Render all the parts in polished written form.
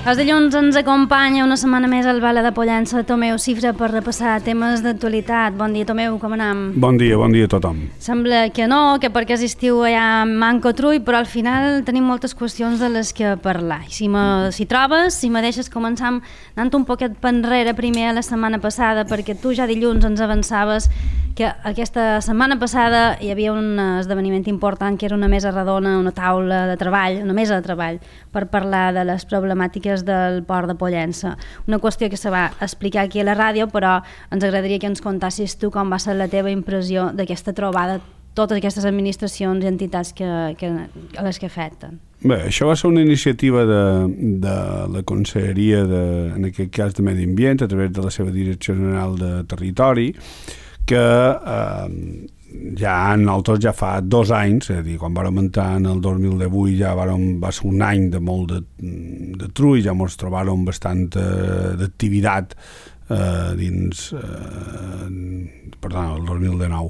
Els dilluns ens acompanya una setmana més al Bala de Pollença Tomeu Cifra per repassar temes d'actualitat. Bon dia, Tomeu, com anem? Bon dia a tothom. Sembla que no, que perquè és estiu allà manco trull, però al final tenim moltes qüestions de les que parlar. Si trobes, si me deixes començar anant un poquet enrere primer a la setmana passada, perquè tu ja dilluns ens avançaves que aquesta setmana passada hi havia un esdeveniment important que era una mesa redona, una taula de treball, una mesa de treball per parlar de les problemàtiques del port de Pollença. Una qüestió que se va explicar aquí a la ràdio, però ens agradaria que ens contassis tu com va ser la teva impressió d'aquesta trobada, totes aquestes administracions i entitats a les que afecten. Bé, això va ser una iniciativa de la Conselleria, en aquest cas de Medi Ambient, a través de la seva Direcció General de Territori, que nosaltres ja fa 2 anys, és a dir, quan vam entrar en el 2018 ja va ser un any de molt de trull, ja ens trobàrem bastant d'activitat dins, el 2019,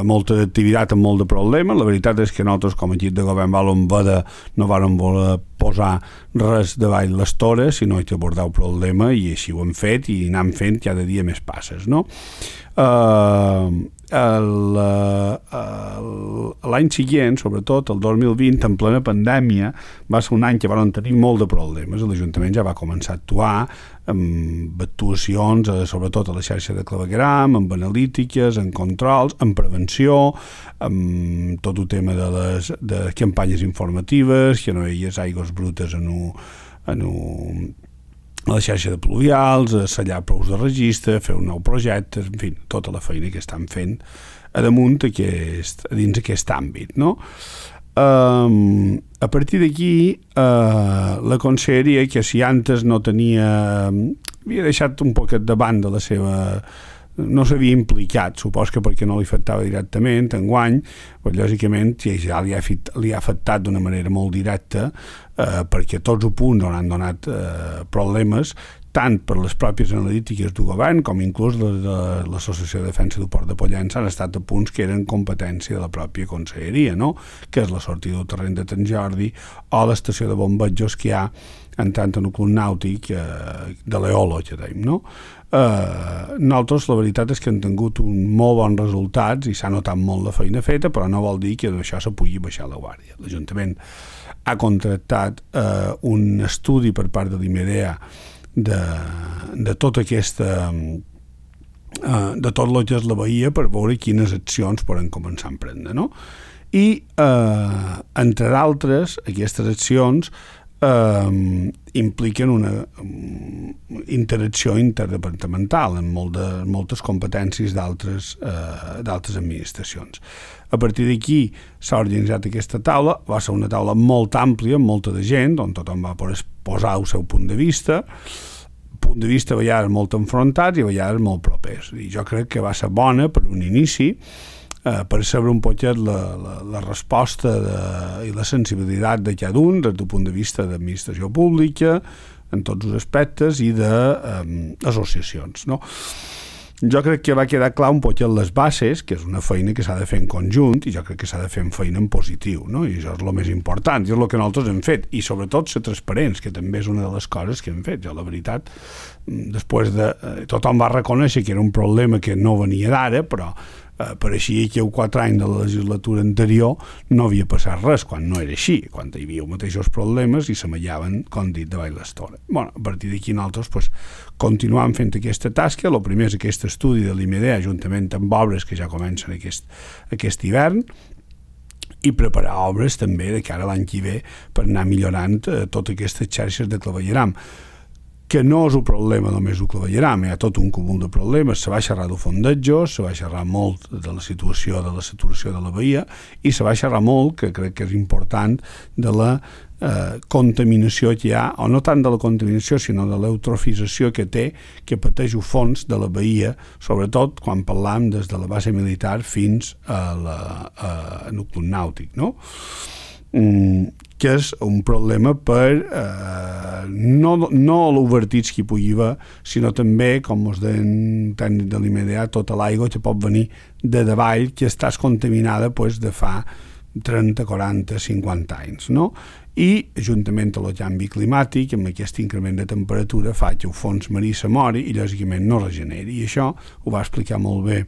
molta d'activitat amb molt de problemes. La veritat és que nosaltres com a equip de govern no vàrem voler posar res davall les tores, sinó que abordar el problema, i així ho hem fet i anem fent cada dia més passes, no? L'any següent, sobretot el 2020, en plena pandèmia, va ser un any que vam tenir molt de problemes. L'Ajuntament ja va començar a actuar amb actuacions, sobretot a la xarxa de clavegueram, amb analítiques, en controls, en prevenció, amb tot el tema de campanyes informatives, que no hi hagués aigües brutes a la xarxa de pluvials, sellar prous de registre, fer un nou projecte, en fi, tota la feina que estan fent a damunt dins aquest àmbit, no? A partir d'aquí, la Conselleria, que si antes no havia deixat un poquet de banda la seva... no s'havia implicat, supos que perquè no li afectava directament, enguany, però lògicament ja li ha afectat d'una manera molt directa, perquè tots els punts on han donat problemes, tant per les pròpies analítiques del govern com inclús de l'Associació de Defensa del Port de Pollença, han estat a punts que eren competència de la pròpia Conselleria, no? Que és la sortida del terreny de Sant Jordi o l'estació de bombejos que hi ha entrant en el club nàutic de l'Eolo, que dèiem, no? Nosaltres la veritat és que hem tingut molt bons resultats i s'ha notat molt la feina feta, però no vol dir que d'això se pugui baixar la guàrdia. L'Ajuntament ha contractat un estudi per part de l'IMEDEA de tota aquesta de tot el que és la Bahia, per veure quines accions poden començar a emprendre, no? I entre d'altres, aquestes accions impliquen una interacció interdepartamental en moltes competències d'altres administracions. A partir d'aquí s'ha organitzat aquesta taula, va ser una taula molt àmplia, amb molta de gent, on tothom va posar el seu punt de vista a vegades molt enfrontats i a vegades molt propers. I jo crec que va ser bona per un inici, per saber un poquet la resposta i la sensibilitat de cada un des del punt de vista d'administració pública en tots els aspectes i d'associacions, no? Jo crec que va quedar clar un poquet les bases, que és una feina que s'ha de fer en conjunt, i jo crec que s'ha de fer en feina en positiu, no? I això és el més important, i és el que nosaltres hem fet, i sobretot ser transparents, que també és una de les coses que hem fet. Jo, la veritat, després tothom va reconèixer que era un problema que no venia d'ara, però pareixia que 4 anys de la legislatura anterior no havia passat res, quan no era així, quan hi havia els mateixos problemes i s'amallaven, com dit, davall l'estora. A partir d'aquí nosaltres continuam fent aquesta tasca. El primer és aquest estudi de l'IMEDEA, juntament amb obres que ja comencen aquest hivern, i preparar obres també de cara a l'any que ve per anar millorant totes aquestes xarxes de clavegueram, que no és un problema només el clavegueram, hi ha tot un cúmul de problemes. Se va xerrar del fondejos, se va xerrar molt de la situació de la saturació de la bahia, i se va xerrar molt, que crec que és important, de la contaminació que hi ha, o no tant de la contaminació, sinó de l'eutrofització que pateix el fons de la bahia, sobretot quan parlam des de la base militar fins al club nàutic, no? Que és un problema per no l'obertits que hi pugui haver, sinó també, com us deien tècnic de l'IMEDEA, tota l'aigua que pot venir de davall, que està contaminada de fa 30, 40, 50 anys, no? i, juntament amb el canvi climàtic, amb aquest increment de temperatura, fa que el fons marí s'amori i, lògicament, no regeneri. I això ho va explicar molt bé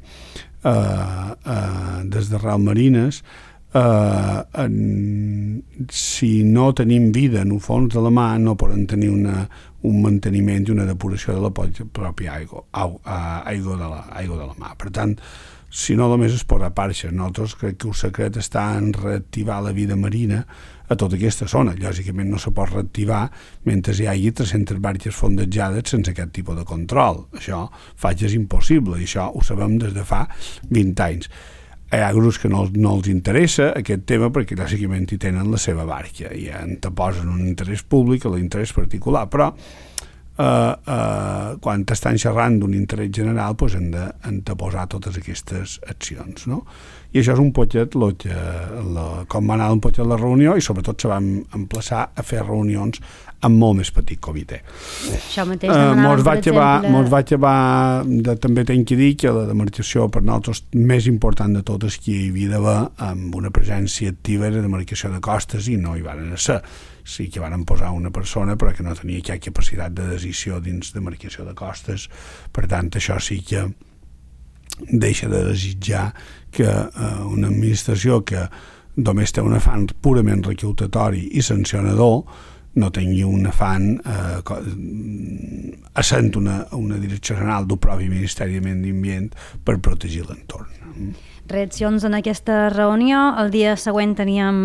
des de Real Marines. Si no tenim vida en el fons de la mar, no podem tenir un manteniment i una depuració de la pròpia aigua de la mar. Per tant, si no només es posa parxes, nosaltres crec que el secret està en reactivar la vida marina a tota aquesta zona. Lògicament no se pot reactivar mentre hi hagi 300 barques fondejades sense aquest tipus de control. Això fa que és impossible i això ho sabem des de fa 20 anys. Hi ha grups que no els interessa aquest tema perquè lògicament hi tenen la seva barca i anteposen un interès públic a l'interès particular, però quan estan xerrant d'un interès general doncs hem d'anteposar totes aquestes accions, no? I això és un poquet com va anar un poquet la reunió i sobretot se van emplaçar a fer reunions amb molt més petit comitè. Això mateix demanaven, per exemple... Mos va acabar també tenc que dir que la demarcació per nosaltres més important de tot és que hi havia d'haver amb una presència activa de demarcació de costes i no hi van ser. Sí que van posar una persona però que no tenia cap capacitat de decisió dins de demarcació de costes. Per tant, això sí que deixa de desitjar que una administració que només té un afany purament recaptatori i sancionador no tingui un afany essent una direcció general del propi Ministeri de Medi Ambient per protegir l'entorn. Reaccions en aquesta reunió. El dia següent teníem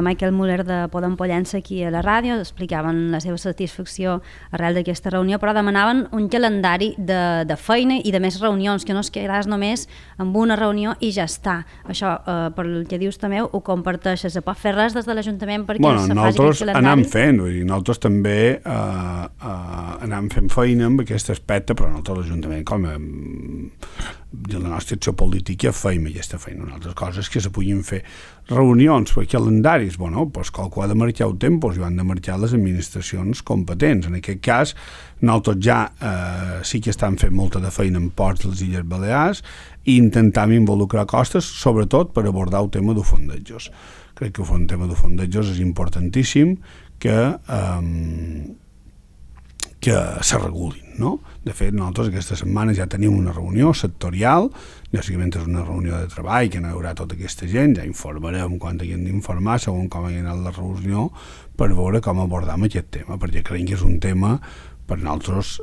Michael Müller de Podem Pollença aquí a la ràdio, explicaven la seva satisfacció arrel d'aquesta reunió, però demanaven un calendari de feina i de més reunions, que no es quedàs només amb una reunió i ja està. Això, per el que dius també, ho comparteixes. Se pot fer res des de l'Ajuntament perquè se faci aquest calendari? Anem fent, vull dir, nosaltres també anem fent feina amb aquest aspecte, però nosaltres l'Ajuntament, com la nostra acció política, feim aquesta feina. Una altra cosa és que se puguin fer reunions per calendaris. Bueno, doncs qualcú ha de marcar el temps i ho han de marcar les administracions competents. En aquest cas, nosaltres ja sí que estan fent molta de feina en ports de les Illes Balears i intentam involucrar costes, sobretot per abordar el tema de fondejos. Crec que el tema de fondejos és importantíssim que se regulin, no? De fet, nosaltres aquesta setmana ja tenim una reunió sectorial, bàsicament és una reunió de treball que no hi haurà tota aquesta gent, ja informarem quan haguem d'informar segons com hagi anat la reunió per veure com abordam aquest tema, perquè creiem que és un tema per nosaltres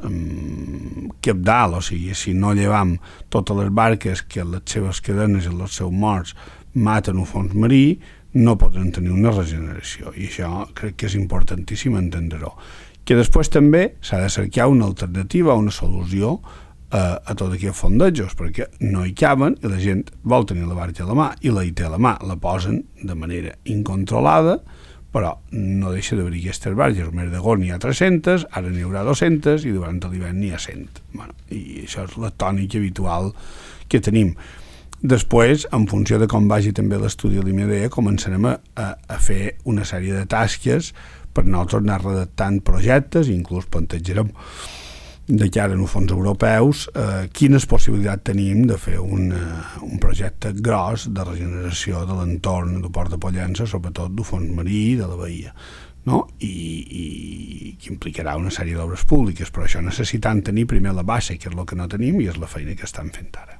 cabdal, o sigui, si no llevam totes les barques que les seves cadenes i els seus morts maten el fons marí, no podran tenir una regeneració, i això crec que és importantíssim entendre-ho. Que després també s'ha de cercar una alternativa, una solució a tot aquests fondejos, perquè no hi caben i la gent vol tenir la barca a la mà i la hi té a la mà, la posen de manera incontrolada, però no deixa d'haver aquestes barques. Al mes d'agost n'hi ha 300, ara n'hi haurà 200 i durant l'hivern n'hi ha 100. Bueno, i això és la tònica habitual que tenim. Després, en funció de com vagi també l'estudi de l'IMEDEA, començarem a fer una sèrie de tasques per nosaltres anar redactant projectes, inclús plantejarem de cara als fons europeus quines possibilitats tenim de fer un projecte gros de regeneració de l'entorn del Port de Pollença, sobretot del fons marí i de la bahia, no? I que implicarà una sèrie d'obres públiques, però això necessitant tenir primer la base, que és el que no tenim i és la feina que estan fent ara.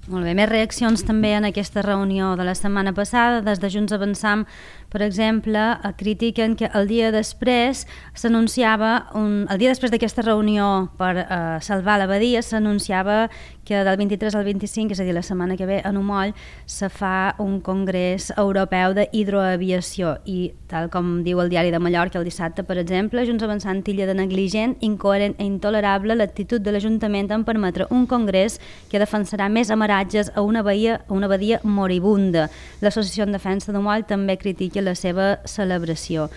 Molt bé, més reaccions també en aquesta reunió de la setmana passada. Des de Junts Avançam, per exemple, critiquen que el dia després s'anunciava, el dia després d'aquesta reunió per salvar la badia, s'anunciava que del 23 al 25, és a dir, la setmana que ve, a Numoll, se fa un congrés europeu d'hidroaviació i, tal com diu el Diari de Mallorca el dissabte, per exemple, Junts Avançant titlla de negligent, incoherent i intolerable l'actitud de l'Ajuntament en permetre un congrés que defensarà més amaratges a una badia moribunda. L'Associació en Defensa de Moll també critica la seva celebració.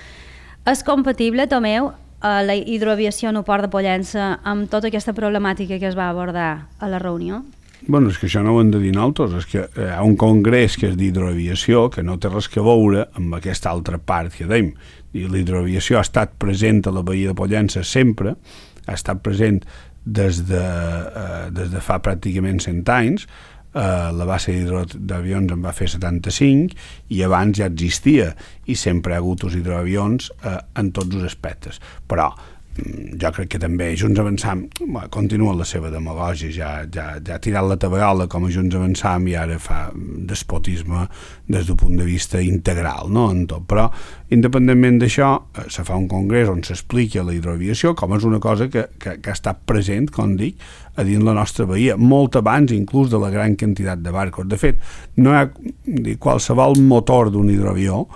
És compatible, Tomeu, la hidroaviació en el Port de Pollença amb tota aquesta problemàtica que es va abordar a la reunió? Bueno, és que això no ho hem de dir nosaltres, és que hi ha un congrés que és d'hidroaviació que no té res que veure amb aquesta altra part que dèiem. L'hidroaviació ha estat present a la bahia de Pollença sempre, ha estat present des de fa pràcticament 100 anys, la base d'hidroavions en va fer 75 i abans ja existia i sempre hi ha hagut els hidroavions en tots els aspectes, però jo crec que també Junts Avançam continua la seva demagògia, ja ha tirat la tabarola com a Junts Avançam i ara fa despotisme des del punt de vista integral, no? En tot. Però independentment d'això se fa un congrés on s'explica la hidroaviació com és una cosa que ha estat present, com dic, a dins la nostra bahia, molt abans inclús de la gran quantitat de barcos. De fet, no hi ha qualsevol motor d'un hidroavió,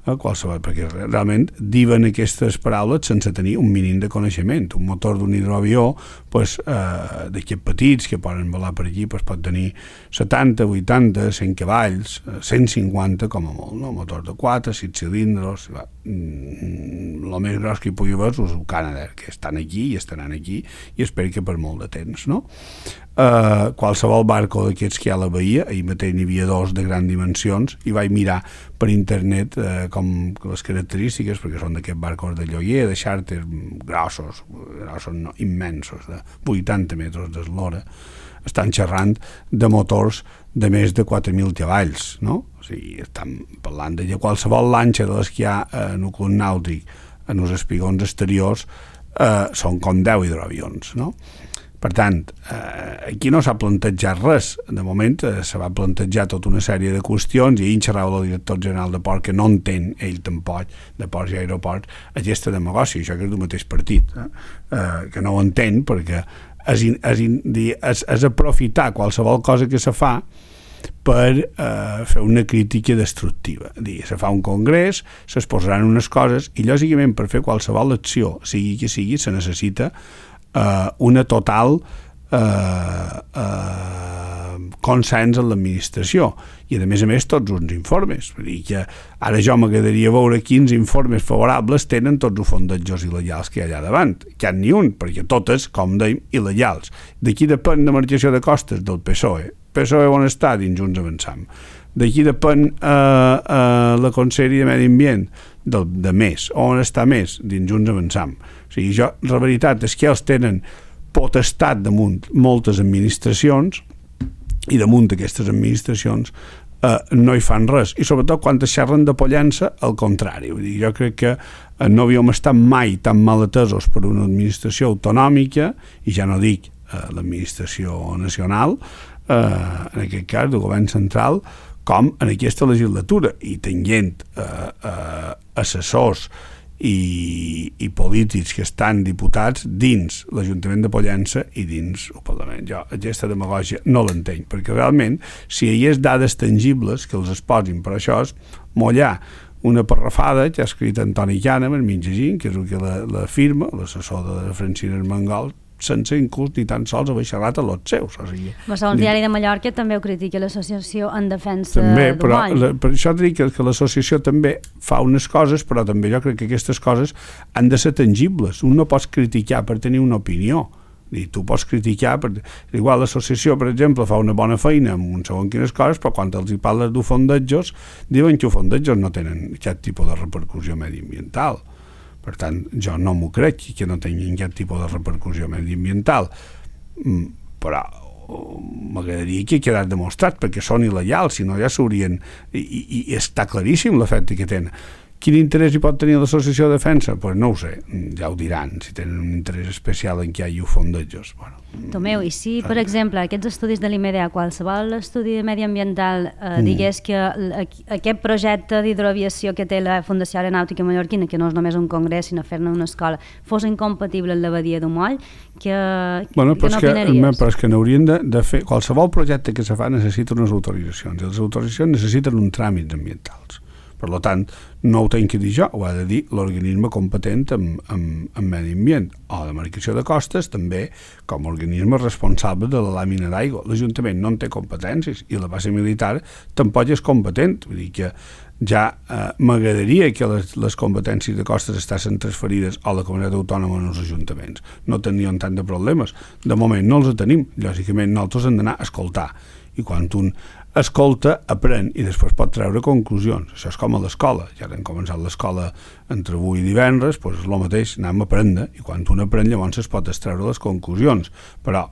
qualsevol, perquè realment diuen aquestes paraules sense tenir un mínim de coneixement. Un motor d'un hidroavió d'aquests petits que poden volar per allí pot tenir 70, 80, 100 cavalls, 150 com a molt, no? Motor de 4, 6 cilindres, el més gros que hi pugui haver és el Canadair, que estan aquí i estaran aquí i espero que per molt de temps, no? Qualsevol barco d'aquests que hi ha a la bahia, ahir mateix n'hi havia 2 de grans dimensions i vaig mirar per internet com les característiques, perquè són d'aquests barcos de lloguer, de xàrter grossos no, immensos, de 80 metres d'eslora. Estan xerrant de motors de més de 4.000 cavalls, no? O sigui, estan parlant de qualsevol lanxa de les que hi ha en un club nàutic en els espigons exteriors són com 10 hidroavions, no? Per tant, aquí no s'ha plantejat res. De moment se va plantejar tota una sèrie de qüestions i ahir xerrava el director general de Port que no entén ell tampoc de ports i aeroports aquesta demagògia, això que és del mateix partit, que no ho entén perquè és aprofitar qualsevol cosa que se fa per fer una crítica destructiva. Se fa un congrés, s'exposaran unes coses i lògicament per fer qualsevol acció, sigui que sigui, se necessita una total consens en l'administració i a més tots uns informes. Vull dir que ara jo m'agradaria veure quins informes favorables tenen tots els fondejos il·legals que hi ha allà davant, que hi ha ni un, perquè totes, com dèiem, il·legals. D'aquí depèn la marcació de costes del PSOE. PSOE on està? Dins Junts Avançam. D'aquí depèn la Conselleria de Medi Ambient de més, on està més? Dins Junts Avançam. O sigui, la veritat és que ells tenen potestat damunt moltes administracions i damunt d'aquestes administracions no hi fan res. I sobretot quan es xerren de pollença, al contrari. Vull dir, jo crec que no havíem estat mai tan mal atesos per una administració autonòmica, i ja no dic l'administració nacional, en aquest cas del govern central, com en aquesta legislatura, i tenint assessors i polítics que estan diputats dins l'Ajuntament de Pollença i dins el Parlament. Jo aquesta demagògia no l'entenc, perquè realment si hi hagués dades tangibles que els es posin, per això és mollar una parrafada que ha escrit Antoni Kahneman, mitjagint, que és el que la firma, l'assessor de Francina Armengol, sense inclús ni tan sols haver xerrat a los seus. O sigui, el diari de Mallorca també ho critica l'associació en defensa del moll. Per això dic que l'associació també fa unes coses, però també jo crec que aquestes coses han de ser tangibles. Un no pots criticar per tenir una opinió. I tu pots criticar, igual l'associació, per exemple, fa una bona feina amb un segon quines coses, però quan els hi parles de fondejos, diuen que els fondejos no tenen aquest tipus de repercussió mediambiental. Per tant, jo no m'ho crec que no tinguin aquest tipus de repercussió mediambiental, però m'agradaria que quedés demostrat, perquè són il·legals, si no ja s'haurien... I està claríssim l'efecte que tenen. Quin interès hi pot tenir l'associació de defensa? Doncs no ho sé, ja ho diran, si tenen un interès especial en què hi ha fondejos. Tomeu, i si, per exemple, aquests estudis de l'IMEDEA, qualsevol estudi mediambiental digués que aquest projecte d'hidroaviació que té la Fundació Aeronàutica Mallorquina, que no és només un congrés, sinó fer-ne una escola, fos incompatible amb la badia del Moll, què n'opinaries? Però és que n'haurien de fer... Qualsevol projecte que se fa necessita unes autoritzacions, i les autoritzacions necessiten uns tràmits ambientals. Per tant, no ho tenc que dir jo, ho ha de dir l'organisme competent en medi ambient, o la marcació de costes també com a organisme responsable de la làmina d'aigua. L'Ajuntament no en té competències i la base militar tampoc és competent. Vull dir que ja m'agradaria que les competències de costes estiguessin transferides a la comunitat autònoma en els ajuntaments. No tenien tant de problemes. De moment no els tenim. Lògicament nosaltres hem d'anar a escoltar. I quan un escolta, aprèn i després pot treure conclusions. Això és com a l'escola. Ja hem començat l'escola entre avui i divendres, doncs és el mateix, anem a aprendre, i quan un aprèn llavors es pot extreure les conclusions. Però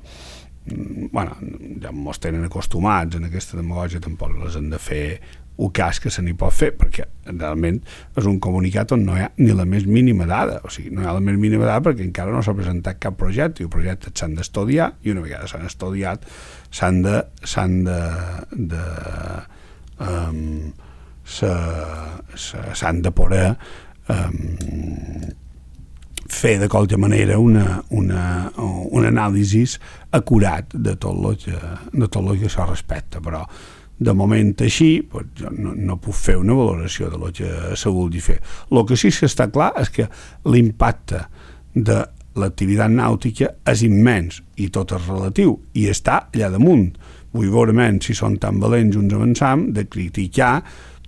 bueno, ja mos tenen acostumats en aquesta demagògia, tampoc les han de fer un cas que se n'hi pot fer, perquè realment és un comunicat on no hi ha ni la més mínima dada, o sigui, no hi ha la més mínima dada perquè encara no s'ha presentat cap projecte, i els projectes s'han d'estudiar, i una vegada s'han estudiat s'han de poder fer de qualque manera un anàlisi acurat de tot el que això respecta, però de moment així pues, jo no puc fer una valoració de lo que se vulgui fer. El que sí que està clar és que l'impacte de l'activitat nàutica és immens i tot és relatiu i està allà damunt. Vull veure si són tan valents uns avançam de criticar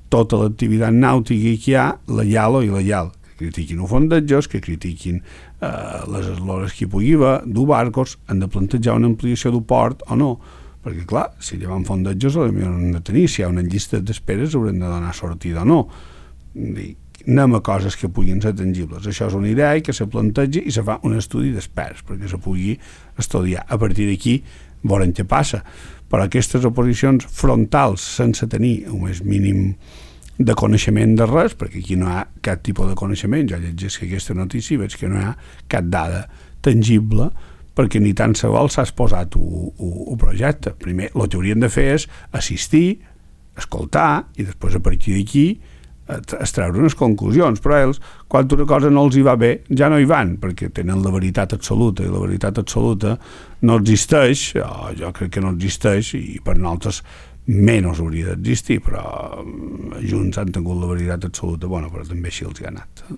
tota l'activitat nàutica que hi ha, lleial o il·lleial. Que critiquin els fondejos, que critiquin les eslores que hi pugui haver, dur barcos, han de plantejar una ampliació del port o no. Perquè, clar, si llevan fondejos potser no han de tenir, si hi ha una llista d'esperes haurem de donar sortida o no. Anem a coses que puguin ser tangibles. Això és una idea que se planteja i se fa un estudi d'experts perquè se pugui estudiar. A partir d'aquí veurem què passa. Però aquestes oposicions frontals sense tenir un més mínim de coneixement de res, perquè aquí no hi ha cap tipus de coneixement, jo llegeixo aquesta notícia i veig que no hi ha cap dada tangible perquè ni tan sols s'ha exposat un projecte. Primer, el que haurien de fer és assistir, escoltar, i després a partir d'aquí extreure unes conclusions, però ells, quan una cosa no els hi va bé, ja no hi van, perquè tenen la veritat absoluta, i la veritat absoluta no existeix, jo crec que no existeix, i per nosaltres menys hauria d'existir, però junts han tingut la veritat absoluta, bueno, però també així els hi ha anat.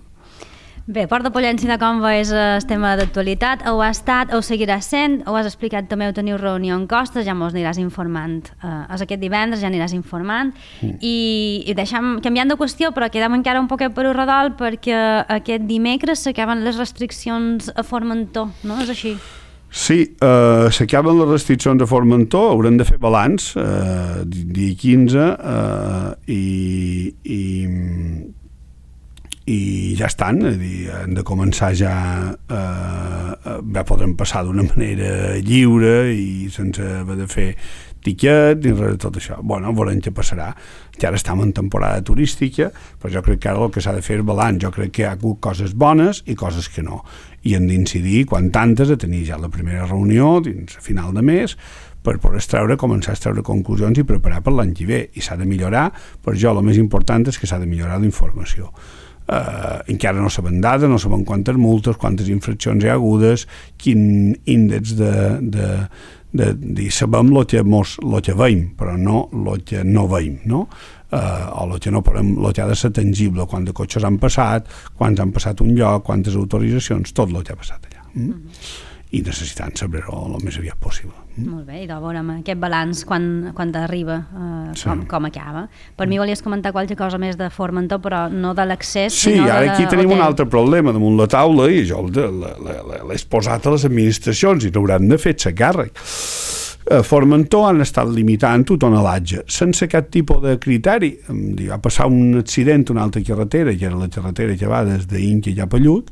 Bé, Port de Pollença de Comba és el tema d'actualitat, ho ha estat, ho seguirà sent, ho has explicat també, ho teniu reunió en Costes, ja mos aniràs informant, és aquest divendres, ja aniràs informant, i canviant de qüestió, però quedem encara un poquet per un redol, perquè aquest dimecres s'acaben les restriccions a Formentor, no? És així? Sí, s'acaben les restriccions a Formentor, haurem de fer balanç, dia 15, i ja estan, hem de començar ja podrem passar d'una manera lliure i sense haver de fer tiquet i res de tot això. Bueno, veurem què passarà. Ja ara estem en temporada turística, però jo crec que ara el que s'ha de fer és balanç. Jo crec que hi ha hagut coses bones i coses que no. I hem d'incidir, quan tantes, a tenir ja la primera reunió dins a final de mes per poder començar a extreure conclusions i preparar per l'any que ve. I s'ha de millorar, per jo el més important és que s'ha de millorar la informació. Encara no sabem dades, no sabem quantes multes, quantes infraccions hi ha hagudes, quin índex sabem el que veiem, però no el que no veiem, no? O el que no podem, el que ha de ser tangible, quants cotxes han passat, quants han passat un lloc, quantes autoritzacions, tot el que ha passat allà. I necessitant saber-ho el més aviat possible. Molt bé, i de veurem aquest balanç quan arriba, com acaba. Per mi volies comentar qualque cosa més de Formentor, però no de l'accés, sinó de ara aquí tenim un altre problema damunt la taula i jo l'he exposat a les administracions i n'hauran de fer-se càrrec. A Formentor han estat limitant el tonelatge sense cap tipus de criteri. Va passar un accident a una altra carretera, que era la carretera que va des d'Inca cap a Lluc,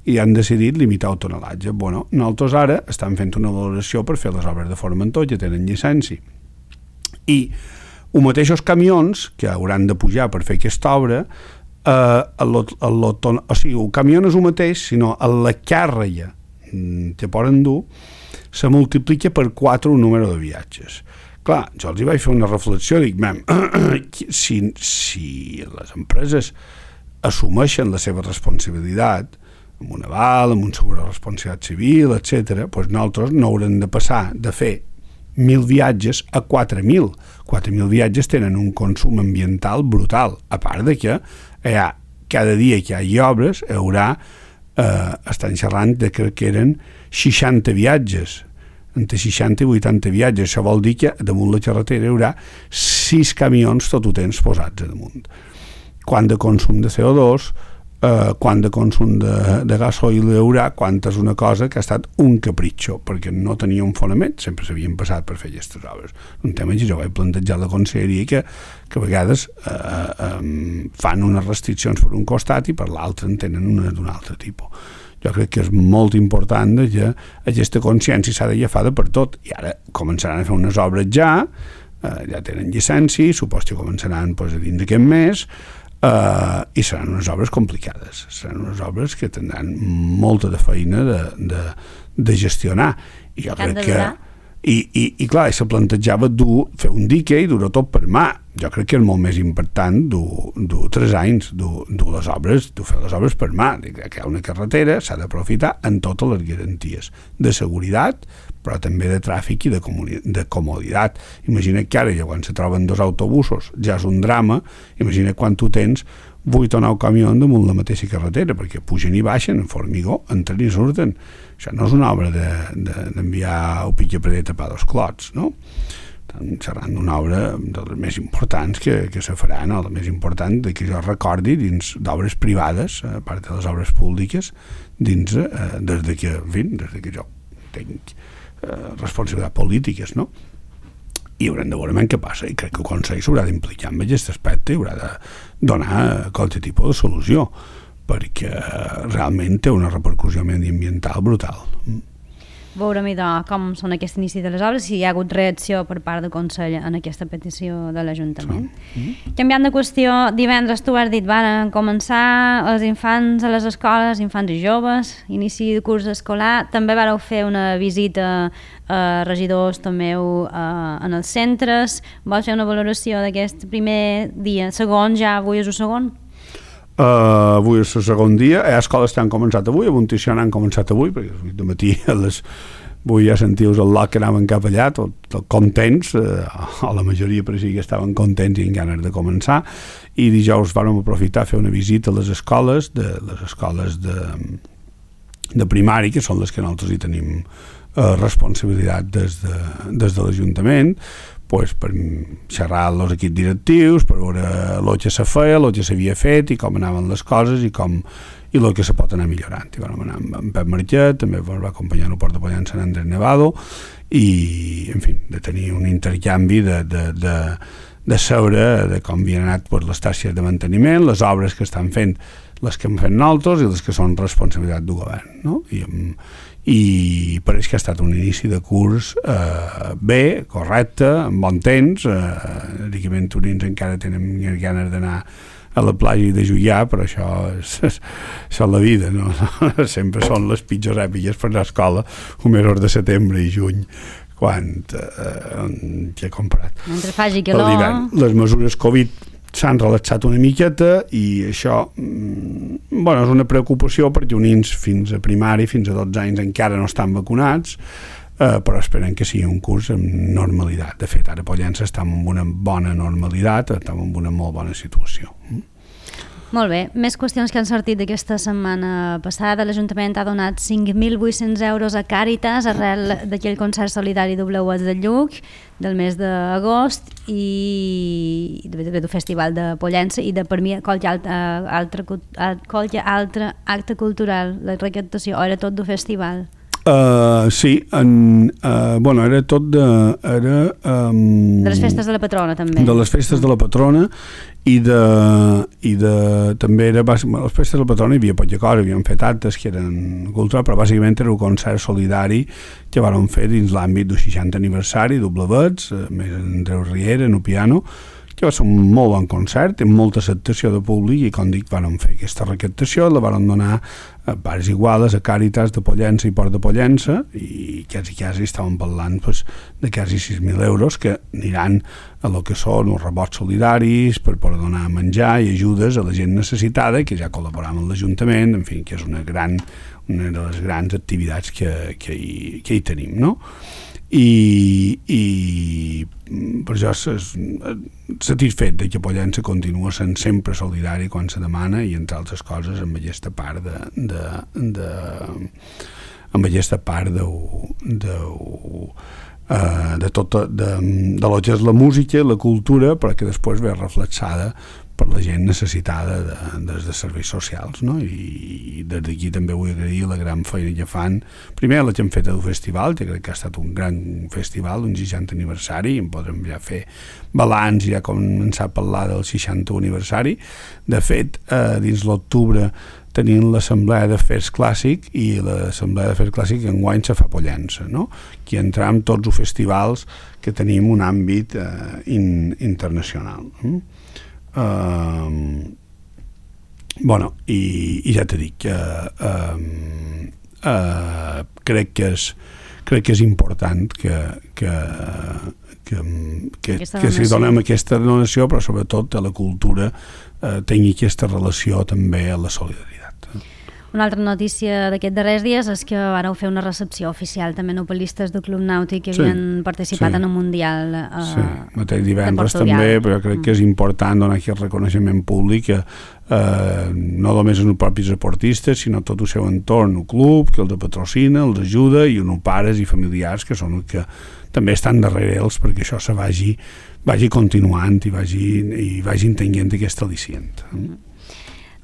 i han decidit limitar el tonelatge. Bueno, nosaltres ara estem fent una valoració per fer les obres de Formentor, que tenen llicència. I els mateixos camions que hauran de pujar per fer aquesta obra, o sigui, el camió no és el mateix, sinó la càrrega que poden dur se multiplica per 4 el número de viatges. Clar, jo els hi vaig fer una reflexió, dic, si les empreses assumeixen la seva responsabilitat, amb un aval, amb un seguro de responsabilitat civil, etc., doncs nosaltres no haurem de passar de fer 1.000 viatges a 4.000. 4.000 viatges tenen un consum ambiental brutal, a part de que cada dia que hi hagi obres estan xerrant de que eren 60 viatges, entre 60 i 80 viatges. Això vol dir que damunt la carretera hi haurà 6 camions tot el temps posats a damunt. Quant de consum de CO2, quant de consum de gasoil hi haurà, quant és una cosa que ha estat un capritxo, perquè no tenia un fonament, sempre s'havien passat per fer aquestes obres. Un tema que jo vaig plantejar a la conselleria que a vegades fan unes restriccions per un costat i per l'altre en tenen una d'un altre tipus. Jo crec que és molt important que aquesta consciència s'ha d'agafar per tot, i ara començaran a fer unes obres ja tenen llicència, supos que començaran a dins d'aquest mes, i seran unes obres complicades, seran unes obres que tindran molta de feina de gestionar, i jo crec que i clar, se plantejava fer un dique i dur-ho tot per mà. Jo crec que és molt més important dur 3 anys, dur fer les obres per mà. Que hi ha una carretera, s'ha d'aprofitar en totes les garanties de seguretat, però també de tràfic i de comoditat. Imagina't que ara, quan se troben 2 autobusos, ja és un drama. Imagina't quan tu tens 8 o 9 camions damunt la mateixa carretera, perquè pugen i baixen en formigó, entren i surten. Això no és una obra d'enviar un pitjaparet a pa dos clots, no? Estan xerrant d'una obra de les més importants que se farà, no? La més important que jo recordi dins d'obres privades, a part de les obres públiques, des que jo tinc responsabilitats polítiques, no? I haurem de veure què passa, i crec que el Consell s'haurà d'implicar en aquest aspecte i haurà de donar qualsevol tipus de solució, perquè realment té una repercussió mediambiental brutal. Veurem com són aquest inici de les obres, si hi ha hagut reacció per part del Consell en aquesta petició de l'Ajuntament. Canviant de qüestió, divendres tu has dit van començar els infants a les escoles, infants i joves, inici de curs escolar, també vareu fer una visita a regidors també en els centres. Vols fer una valoració d'aquest primer dia, segon ja, avui és el segon? Avui és el segon dia, a escoles han començat avui, a Montició han començat avui, perquè de matí avui ja sentiu el lot que anaven cap allà, tot contents, o la majoria per així que estaven contents i amb ganes de començar, i dijous vam aprofitar a fer una visita a les escoles de primari, que són les que nosaltres hi tenim responsabilitat des de l'Ajuntament, per xerrar amb els equips directius, per veure el que se feia, el que s'havia fet i com anaven les coses i el que se pot anar millorant. I vam anar amb Pep Marquet, també ens va acompanyar el portapollant Sant Andrés Nevado, i, en fi, de tenir un intercanvi de saber de com havien anat les tasques de manteniment, les obres que estan fent, les que hem fet nosaltres i les que són responsabilitat del govern, no? I pareix que ha estat un inici de curs bé, correcte, amb bon temps. Dic que venturins encara tenen ganes d'anar a la platja i de jugar, però això és la vida, no? Sempre són les pitjors èpiques per anar a escola, mesos de setembre i juny, quan he comparat. Mentre faci calor. Les mesures Covid s'han relaxat una miqueta i això és una preocupació perquè uns nens fins a primari, fins a 12 anys encara no estan vacunats, però esperen que sigui un curs amb normalitat. De fet, ara Pollença estem en una bona normalitat, estem en una molt bona situació. Molt bé, més qüestions que han sortit d'aquesta setmana passada. L'Ajuntament ha donat 5.800 euros a Càritas arrel d'aquell concert solidari Dobleuets de Lluc del mes d'agost i del Festival de Pollença i de per mi qualsevol altre acte cultural, la recaptació, o era tot del festival? Sí, era tot de les festes de la patrona també. De les festes de la patrona i també era les festes de la patrona hi havia poca cosa, havíem fet actes que eren culturals, però bàsicament era un concert solidari que vam fer dins l'àmbit del 60 aniversari Doblevets, més Andreu Riera en el piano, que va ser un molt bon concert, amb molta acceptació de públic i, com dic, vam fer aquesta recaptació, la vam donar a parts iguales, a Càritas de Pollença i Port de Pollença, i quasi estàvem parlant de quasi 6.000 euros que aniran a lo que són uns rebots solidaris per poder donar menjar i ajudes a la gent necessitada, que ja col·laboram amb l'Ajuntament, en fi, que és una de les grans activitats que hi tenim, no? I per això satisfet que Pollença continua sent sempre solidari quan se demana i entre altres coses amb aquesta part de tot de lo que és la música i la cultura, però que després ve reflexada per la gent necessitada des de serveis socials, no? I des d'aquí també vull agrair la gran feina que fan, primer la que hem fet al festival, que crec que ha estat un gran festival, un 60 aniversari, i en podrem ja fer balanç i ja començar a parlar del 60 aniversari. De fet, dins l'octubre tenim l'Assemblea d'Afers Clàssic, i l'Assemblea d'Afers Clàssic enguany se fa a Pollença, no? Aquí entram tots els festivals que tenim un àmbit internacional. Bueno, i ja t'he dit que crec que és important que si donem aquesta donació, però sobretot a la cultura tingui aquesta relació també a la solidaritat. Una altra notícia d'aquests darrers dies és que vareu fer una recepció oficial també novel·listes del Club Nàutic que havien participat en un mundial mateix divendres també, però jo crec que és important donar aquest reconeixement públic que no només els propis esportistes, sinó tot el seu entorn, el club, que els patrocina, els ajuda, i uns pares i familiars que són els que també estan darrere ells perquè això se vagi continuant i vagi tenint aquest al·licient.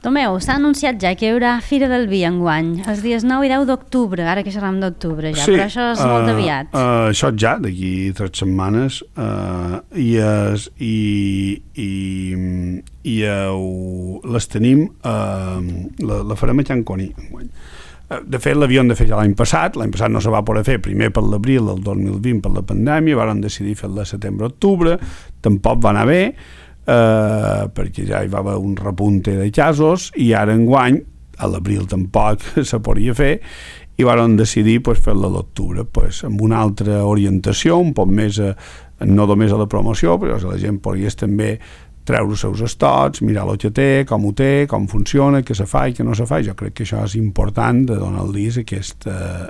Tomeu, s'ha anunciat ja que hi haurà Fira del Vi enguany, els dies 9 i 10 d'octubre, ara que xerram d'octubre ja, però això és molt aviat. Això ja, d'aquí 3 setmanes, les tenim, la farem a Can Coni enguany. De fet, l'havíem de fer ja l'any passat no se va poder fer, primer per l'abril del 2020 per la pandèmia, vam decidir fer-la a setembre-octubre, tampoc va anar bé, perquè ja hi va haver un repunte de casos, i ara enguany a l'abril tampoc se podia fer, i vam decidir fer-la a l'octubre amb una altra orientació, un poc més no només a la promoció, però la gent pogués també treure els seus estocs, mirar el que té, com funciona, què se fa i què no se fa. Jo crec que això és important, de donar-los aquesta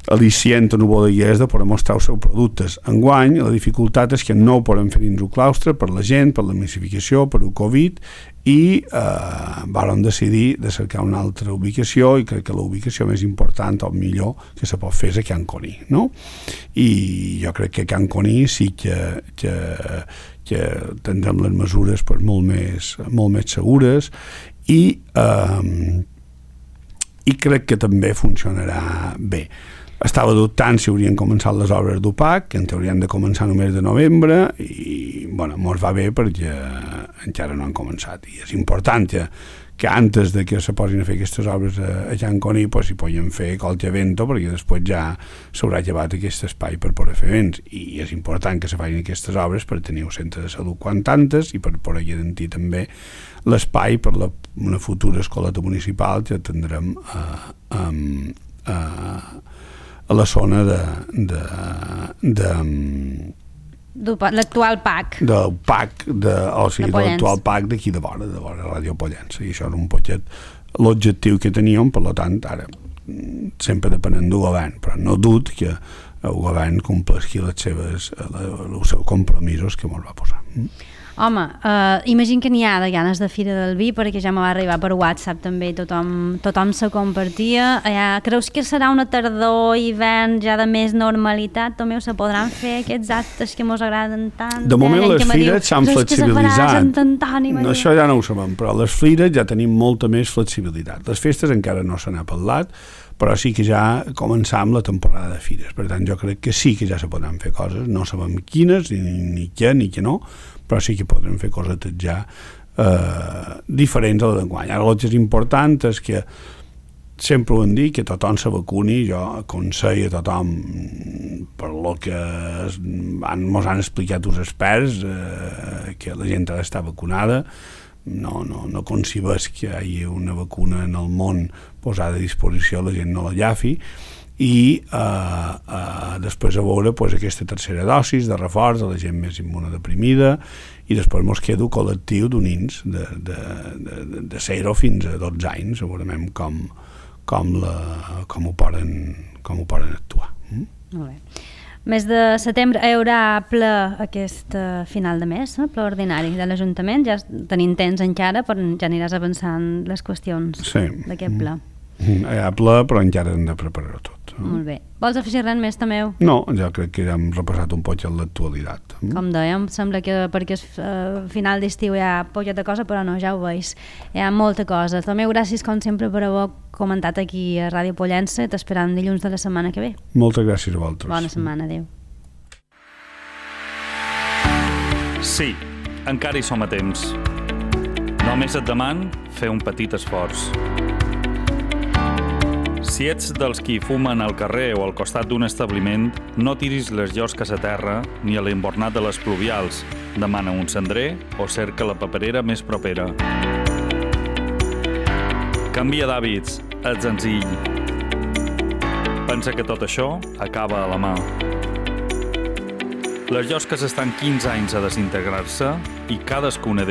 al·licient a bodeguers de poder mostrar els seus productes. Enguany, la dificultat és que no ho podem fer dins el claustre per la gent, per la massificació, per el Covid, i vam decidir de cercar una altra ubicació, i crec que la ubicació més important o millor que se pot fer és a Can Coni, no? I jo crec que a Can Coni sí que tindrem les mesures molt més segures, i crec que també funcionarà bé. Estava dubtant si haurien començat les obres d'UPAC, que en haurien de començar només de novembre, i mos va bé perquè encara no han començat, i és important que antes de que se posin a fer aquestes obres a Can Coni s'hi podien fer qualque evento, perquè després ja s'haurà llevat aquest espai per poder fer events, i és important que se facin aquestes obres per tenir un centre de salut quan tantes, i per poder garantir també l'espai per una futura escoleta municipal que tindrem a la zona l'actual PAC l'actual PAC d'aquí de vora Ràdio Pollença, i això és un poquet l'objectiu que teníem. Per tant, ara sempre depenent del govern, però no dubto que el govern compleixi els seus compromisos que ens va posar. Home, imagino que n'hi ha de ganes de Fira del Vi, perquè ja me va arribar per WhatsApp també, tothom se compartia. Creus que serà una tardor, hivern ja de més normalitat? També se podran fer aquests actes que ens agraden tant? De moment les fires s'han flexibilitzat. Això ja no ho sabem, però les fires ja tenim molta més flexibilitat. Les festes encara no se n'ha parlat, però sí que ja començam la temporada de fires. Per tant, jo crec que sí que ja se podran fer coses, no sabem quines, ni què no, però sí que podrem fer coses ja diferents a la d'enguany. Ara el que és important és que sempre ho hem dit, que tothom se vacuni. Jo aconsello a tothom, per lo que ens han explicat els experts, que la gent ha d'estar vacunada. No concebés que hi hagi una vacuna en el món posada a disposició, la gent no la llafi, i després a veure aquesta tercera dosis de reforç a la gent més immunodeprimida, i després ens queda el col·lectiu de nens de 0 fins a 12 anys, segurament com ho poden actuar. Molt bé. Mes de setembre hi haurà ple aquest final de mes, ple ordinari de l'Ajuntament. Ja tenim temps encara, però ja aniràs avançant les qüestions d'aquest ple. Hi ha ple, però encara hem de preparar-ho tot. Molt bé. Vols afegir res més, Tomeu? No, jo crec que ja hem repassat un poc l'actualitat. Com dèiem, sembla que perquè és final d'estiu hi ha poca de cosa, però no, ja ho veus. Hi ha molta cosa. Tomeu, gràcies com sempre per haver comentat aquí a Ràdio Pollença. T'esperam dilluns de la setmana que ve. Moltes gràcies a vosaltres. Bona setmana, adéu. Sí, encara hi som a temps. Només et deman fer un petit esforç. Si ets dels qui fumen al carrer o al costat d'un establiment, no tiris les llosques a terra ni a l'embornat de les pluvials. Demana un cendrer o cerca la paperera més propera. Canvia d'hàbits, ets senzill. Pensa que tot això acaba a la mà. Les llosques estan 15 anys a desintegrar-se i cadascuna